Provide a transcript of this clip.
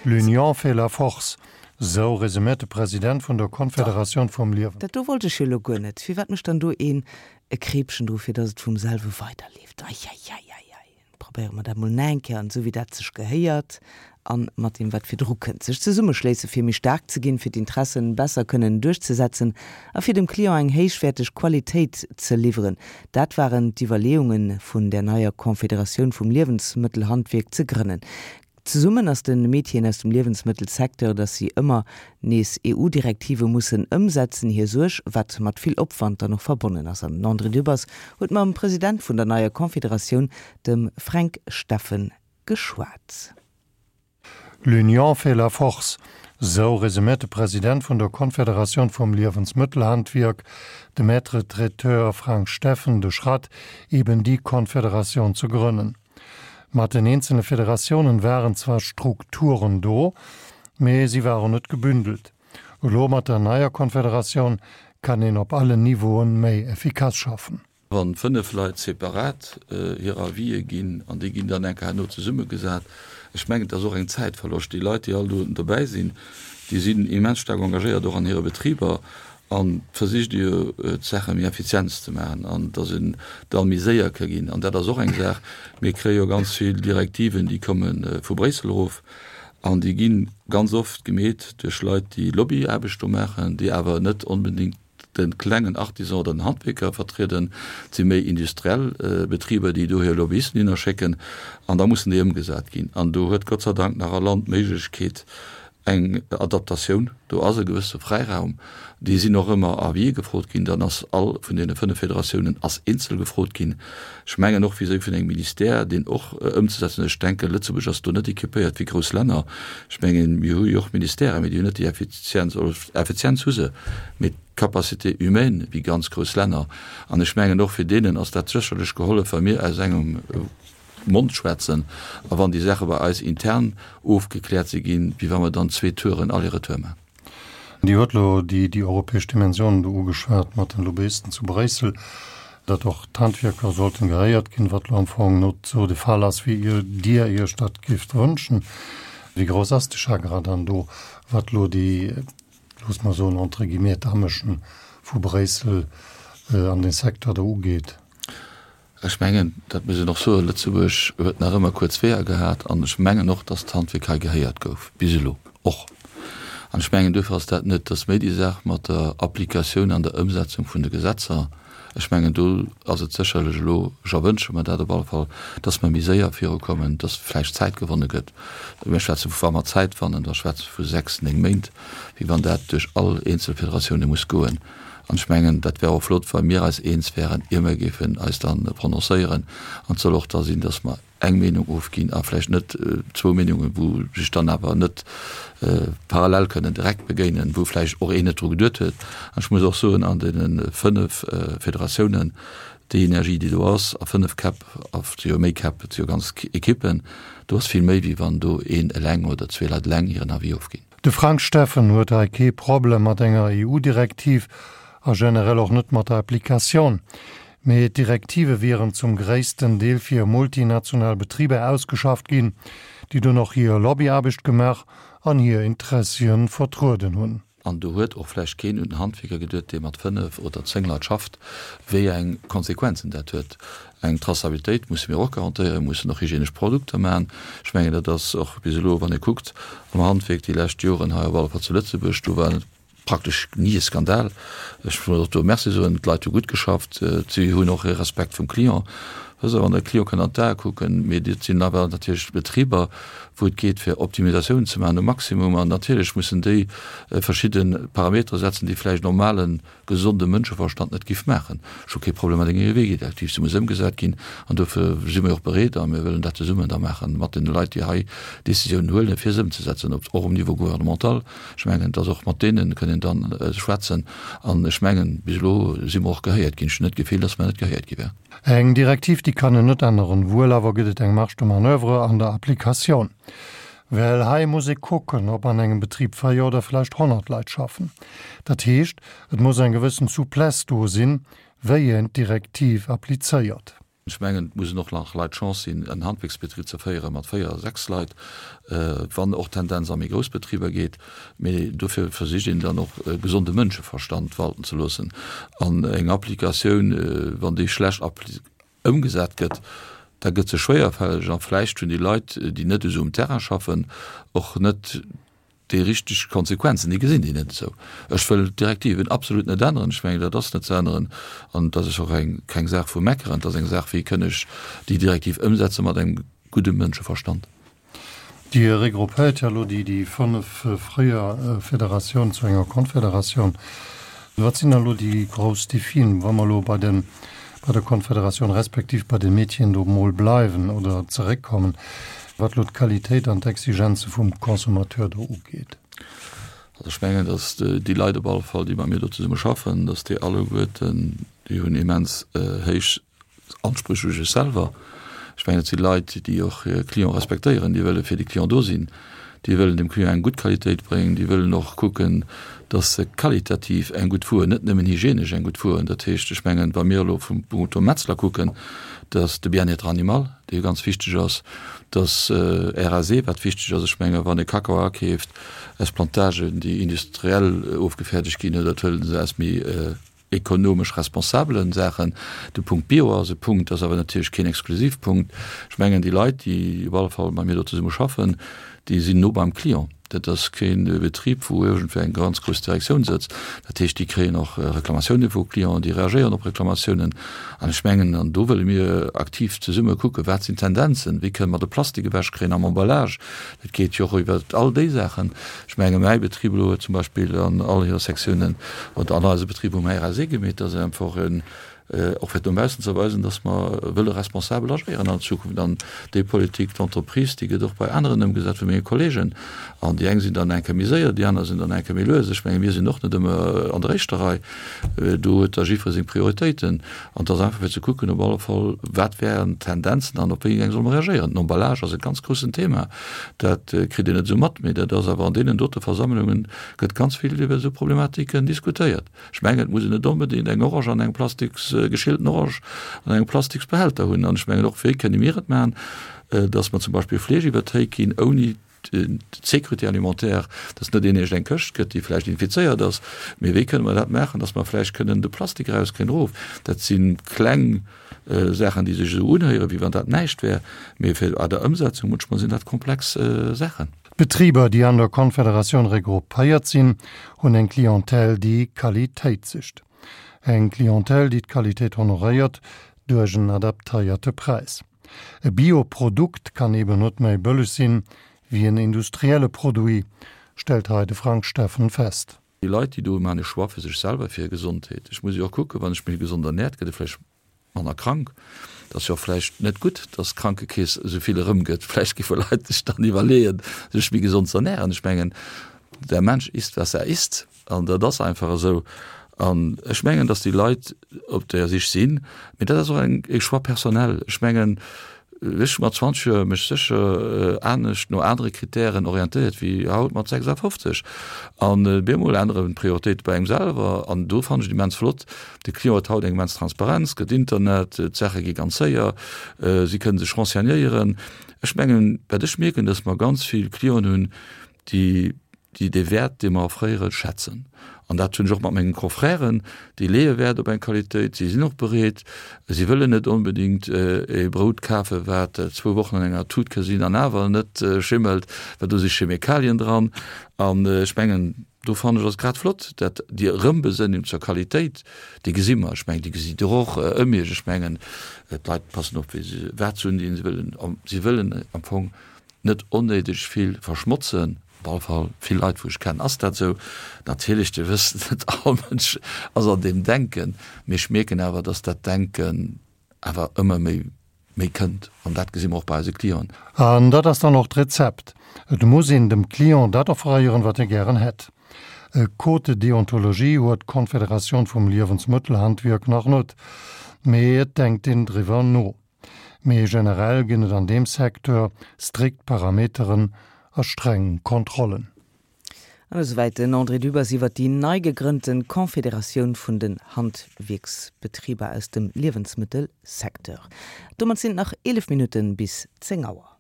L'union fait la force, sou resuméiert de President vun der Konfederatioun vum Liewen. Dat do wollt ech jo elo guer net. Firwat mécht dann do een e Kreepchen dru fir dass et vum selwe weiderleeft? Eieieiei. Probéiere mer dat mol nach eng Kéier an esou wéi dat sech gehéiert an mat deem wat virdru kënnt. Sech zesummeschléisse fir méi staark ze ginn, fir d'Intressen besser kënnen duerchzesetzen a fir dem Client eng héichwäerteg Qualitéit ze liwweren, dat waren d'Iwwerleeunge vun där neier Confederatioun vum Liewensmëttelhandwierk ze grënnen. Zesummen ass de Métieren aus dem Liewensmëttelsecteur, datt si ëmmer nees EU-Direktive mussen ëmsetzen, hir Suerg, wat mat vill Opwand dann och verbonnen ass. An den André Dübbers huet mam President vun der neier Confederatioun, dem Fränk Steffen, geschwat. L'union fait la force, sou resuméiert de President vun der Confederatioun vum Liewensmëttelhandwierk, de Maître traiteur Frank Steffen, de Schratt, eben déi Confederatioun ze grënnen. Mat den eenzele Federatiounen waren zwar Strukturen do, mee si waren net gebündelt. Elo mat der neier Konfederatioun kann een op allen Niveauen méi effikass schaffen. Wann 5 Leit separat hir Avisë ginn an déi ginn dann eng Kéier herno zesummegesat, ech mengen, et ass och eng Zäitverloscht. Déi Leit, déi all do dobäi sinn, déi sinn immens staark engagéiert, och an hire Betriber. An versicht jo d'Saache méi effizient ze maachen an dass en da méi séier ka ginn. An dat ass och eng Saach, mir kréie jo ganz vill Direktiven, déi komme vu Bréissel erof an déi gi ganz oft gemeet duerch Leit, déi Lobbyaarbecht do maachen, déi awer net onbedéngt de klengen Artisan oder den Handwierker vertrieden. Et si méi industriell Betriber, déi do hir Lobbyisten hinnerschécken an da mussen déi ëmgesat ginn. An do huet Gott sei Dank nach all Land d'Méiglechkeet, eng Adaptatioun, do ass e gewësse Fräiraum, déi sinn och ëmmer Avis gefrot ginn, dann ass all vun deene 5 Federatiounen ass eenzel gefrot ginn, ech mengen och vis-à-vis vun engem Ministère, deen och ëmzesetzen ass. Ech denken, Lëtzebuerg ass do net équipéiert wéi grouss Länner, ech mengen, mir hu jo och Ministèren, mee déi hunn net déi Effizienz, oder Effizienz hu se, mee d'Capacité humaine wéi ganz grouss Länner. An ech mengen och fir deenen ass dat sécherlech gehollef, wa mir aus engem Mond schwätzen a wann déi Saache bei eis intern ofgekläert si ginn, wéi wa mer dann zwee Touren Aller-retour maachen. Dir hutt elo déi déi europäesch Dimensioun do ugeschwat mat den Lobbyisten zu Bréissel, datt och d'Handwierker sollten gehéiert ginn, wat elo am Fong net esou de Fall ass, wéi Dir Iech dat géift wënschen. Wéi grouss ass de Chagrin dann do, wat elo déi, loosse mer soen, entre guillemets, d'Amëschen vu Bréissel an dee Secteur do ugeet? Ech mengen, dat muss een och soen, Lëtzebuerg huet nach ëmmer kuerz Weeër gehat an ech mengen och, datt d'Handwierk hei gehéiert gouf, bis elo och. An ech mengen, duerfir ass dat net, et ass méi déi Saach mat der Applikatioun an der Ëmsetzung vun de Gesetzer. Ech mengen, do ass et sécherlech elo, ech erwënsche mer dat op alle Fall, datt mer méi séier virukommen, datt vläicht Zäit gewonne gëtt. Mir schwätze vu, wa mer Zäit fannen, da schwätze vu sechs, néng Méint, wéi wann dat duerch all eenzel Federatioune muss goen. An ech mengen, dat wär och flott, wa mir eis eens wären, ier mir géifen eis da prononcéieren. An et soll och da sinn, dass mer eng Meenung ofginn a vläicht net zwou Meenungen, wou sech dann awer net parallel kënnen direkt begéinen, wou vläicht och een net dru geduet huet. An ech muss och soen, an deene fënnf Federatiounen, déi Energie, déi do ass, a fënnf Käpp, a et si jo méi Käpp, et si jo ganz Ekippen, do ass vill méi, wéi wann do een eleng oder zwee Leit eleng hiren Avis ofginn. De Frank Steffen huet hei kee Problem mat enger EU-Direktiv a generell och net mat der Applikatioun. Mee d'Direktive wieren zum gréissten Deel fir multinational Betriber ausgeschafft ginn, déi dunn och hir Lobbyaarbecht gemaach an hir Interessien vertrueden hunn. An do huet och vläicht keen un den Handwierker geduet, dee mat 5 oder 10 Leit schafft, wéi eng Konsequenzen dat huet. Eng Traçabilitéit musse mir och garantéieren, mir mussen och hygienesch Produkter maachen. Ech mengen, dat ass och bis elo, wann ee kuckt am Handwierk déi lescht Joren hei op alle Fall zu Lëtzebuerg, do war praktesch ni e Skandal. Ech muss och do Merci soen, d'Leit hu gutt geschafft, si hunn och e Respekt vum Client. Wësst Der, wann de Client kann an d'Ae kucken, mee dat sinn awer natierlech Betriber, wou et geet fir Optimisatiounen ze maachen um Maximum an natierlech mussen déi verschidde Parametere setzen, déi vläicht normalen gesonde Mënscheverstand net giff maachen. Ech hu kee Problem mat enger EWG-Direktiv, se muss ëmgesat ginn an dofir si mir och bereet a mir wëllen dat zesummen da maache mat deene Leit, déi hei Décisiounen huelen, fir se ëmzesetzen, ob och um Niveau gouvernemental. Ech mengen, dass och mat deene kënn een dann schwätzen an ech mengen, bis elo si mer och gehéiert ginn. Ech hunn net d'Gefill, dass mer net gehéiert gi wären. Eng Direktiv, déi kann een net änneren, wuel awer gëtt et eng Marge de manoeuvre an der Applikatioun. Well hei muss ee kucken, ob an engem Betrib 4 oder vläicht 100 Leit schaffen. Dat heescht, et muss eng gewëssen Souplesse do sinn, wéi een d'Direktiv applizéiert. Ech mengen, et mussen och nach Leit d'Chance sinn, en Handwierksbetrib ze féiere mat 4, 6 Leit, wann och d'Tendenz a méi grouss Betriber geet. Mee dofir versicht een dann och e gesonde Mënscheverstand walten ze loossen. An eng Applikatioun, wann déi schlecht ëmgesat gëtt, da gëtt se schwéierfälleg a vläicht hunn déi Leit, déi net esou um Terrain schaffen, och net déi richteg Konsequenzen, déi gesinn déi net esou. Ech wëll d'Direktiven absolut net änneren, ech mengen, dat ass net ze änneren an et ass och eng keng Saach vu meckeren, et ass eng Saach, wéi kënn ech déi Direktiv ëmsetze mat engem gudde Mënscheverstand. Dir regroupéiert jo elo déi déi 5 fréier Federatiounen zu enger Konfederatioun. Wat sinn da elo déi grouss Defien, wa mer elo bei de bei der Konfederatioun respektiv bei de Métieren do mol bleiwen oder zeréckkommen, wat elo d'Qualitéit an d'Exigenze vum Consommateur do ugeet? Also ech mengen, datt déi Leit op alle Fall, déi mat mir do zesumme schaffen, datt déi alleguerten, déi hunn immens héich Anspréch u sech selwer. Ech mengen, et si Leit, déi och hir Client respektéieren, déi wëlle fir de Client do sinn, déi wëllen dem Client eng gutt Qualitéit bréngen, déi wëllen och kucken, datt se qualitativ eng gutt Wuer, net nëmmen hygienesch eng gutt Wuer hunn. Dat heescht, ech mengen, wa mir elo vum Punkto Metzler kucken, datt de Bien-être animal, dee ganz wichteg ass, datt RAC, wat wichteg ass, ech mengen, wann ee Kakao akeeft aus Plantagen, déi industriell ofgefäerdegt ginn, oder et huele se aus méi ekonomesch responsabelen Saachen. De Punkt Bio ass e Punkt, ass awer natierlech keen Exklusivpunkt. Ech mengen, déi Leit, déi op alle Fall mat mir do zesumme schaffen, déi sinn no beim Client. Dat ass kee Betrib, wou iergendwéi eng ganz grouss Direktioun sëtzt. Dat heescht, déi kréien och Reklamatioune vu Clienten, déi reagéieren op Reklamatiounen. An ech mengen, an do wëlle mir aktiv zesumme kucken, wat sinn d'Tendenzen, wéi kënne mer de Plastik ewechkréien am Emballage, Et geet jo och iwwer all déi Saachen. Ech menge mäi Betrib elo huet zum Beispill an all hire Sektiounen, oder an eise Betrib um RAC gemeet, dass einfach en, och fir no baussen ze weisen, dass mer wëlle responsabel agéieren an Zukunft. An déi Politique d'entreprise, déi gëtt och bei aneren ëmgesat vu menge Kollegen. An déi eng sinn dann eng Kéier méi séier, déi aner sinn dann eng Kéier méi lues. Ech menge mir sinn och net ëmmer an der éischter Rei. Do huet da jiddweree seng Prioritéiten. An et ass einfach fir ze kucken op alle Fall, wat wären d'Tendenzen an op wéi eng solle mer reagéieren. Den Emballage ass e ganz groussen Thema. Dat kritt een net esou mat, mee dat ass awer an deenen dote Versammlungen gëtt ganz vill iwwer esou Problematiken diskutéiert. Ech mengen, et muss een net onbedéngt eng Orange an engem plastiks, geschielten Orange an engem Plastiksbehälter hunn. An ech mengen och, wéi kënne mir et maachen, datt mer zum Beispill Fleesch iwwer d'Théik ginn, ouni d'Sécurité alimentaire, dass net een iergend eng Këscht gëtt, déi vläicht infizéiert ass, mee wéi kënne mer dat maachen, dass mer vläicht kënnen de Plastik erauskréien erof. Dat si kleng Saachen, déi sech esou unhéieren, wéi wann dat näischt wär, mee fir a der Ëmsetzung munchmol sinn dat komplex Saachen. D'Betriber, déi an der Konfederatioun regroupéiert sinn, hunn eng Clientèle, déi Qualitéit sicht. Eng Clientèle, déi d'Qualitéit honoréiert duerch en adaptéierte Präis. E Bio-Produkt kann eben net méi bëlleg sinn, wéi en industrielle Produit, stellt hei de Frank Steffen fest. Déi Leit, déi do maachen e Choix fir sech selwer, fir hir Gesondheet. Ech muss jo och kucken, wann ech mech gesond ernährt, gëtt e vläicht manner krank. Et ass jo och vläicht net gutt, dass d'Krankekeess esou vill erëmgëtt. Vläicht géife Leit sech dann iwwerleeën, sech méi gesond ze ernähren. Ech mengen, der Mensch isst, was er isst. An dat ass einfach esou. An ech mengen, datt déi Leit op der Sich sinn, mee dat ass och eng e Choix personnel. Ech mengen, ech hu mat 20 Joer mech sécher anescht no anere Kritären orientéiert wéi haut mat 56. An bemol änneren d'Prioritéite bei engem selwer. An do fannen ech et immens flott, de Client huet haut eng immens Transparenz, gëtt Internet, d'Saache gi ganz séier, si kënnen sech renseignéieren. Ech mengen, wat ech mierken, datt mer ganz vill Clienten hunn, déi déi dee Wäert, dee mer offréieren, schätzen. An dat hunn ech och mat mengen Confrèren, déi leeë Wäert op eng Qualitéit, si sinn och bereet, si wëllen net onbedéngt e Brout kafen, wat zwou Wochen an enger Tut ka sinn an awer net schimmelt, well do si Chemikalien dran. An ech mengen, do fannen ech, ass grad flott, dat déi Erëmbesënnung zur Qualitéit, déi gesi mer, ech mengen, déi gesitt Der och ëm Iech. Ech mengen, d'Leit passen op, wéi se, wat se hunn, si wëllen, si wëllen am Fong net onnéideg vill verschmotzen. Op alle Fall vill Leit wou ech kennen ass dat esou. Natierlech Dir wësst net all Mënsch ass an deem Denken, mee ech mierken awer, datt dat Denken awer ëmmer méi méi kënnt an dat gesi mer och bei eise Clienten. An dat ass dann och d'Rezept, Et muss een dem Client dat offréieren, wat e gären hätt. E Code de déontologie huet d'Konfederatioun vum Liewensmëttelhandwierk nach net, mee et denkt een driwwer no. Mee generell ginn et an deem Secteur strikt Parameteren a streng Kontrollen. An esouwäit den André Dübbers iwwer déi nei gegrënnte Confederatioun vun den Handwierksbetriber aus dem Liewensmëttelsecteur. Domat sinn et nach 11 Minutte bis 10 Auer.